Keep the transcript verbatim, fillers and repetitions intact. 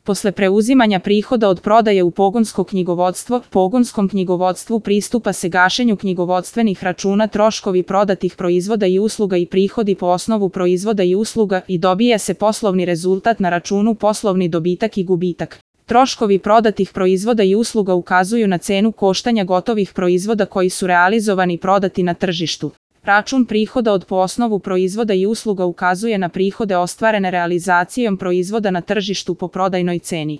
Posle preuzimanja prihoda od prodaje u pogonsko knjigovodstvo, pogonskom knjigovodstvu pristupa se gašenju knjigovodstvenih računa, troškovi prodatih proizvoda i usluga i prihodi po osnovu proizvoda i usluga i dobija se poslovni rezultat na računu poslovni dobitak i gubitak. Troškovi prodatih proizvoda i usluga ukazuju na cenu koštanja gotovih proizvoda koji su realizovani i prodati na tržištu. Račun prihoda od po osnovu proizvoda i usluga ukazuje na prihode ostvarene realizacijom proizvoda na tržištu po prodajnoj ceni.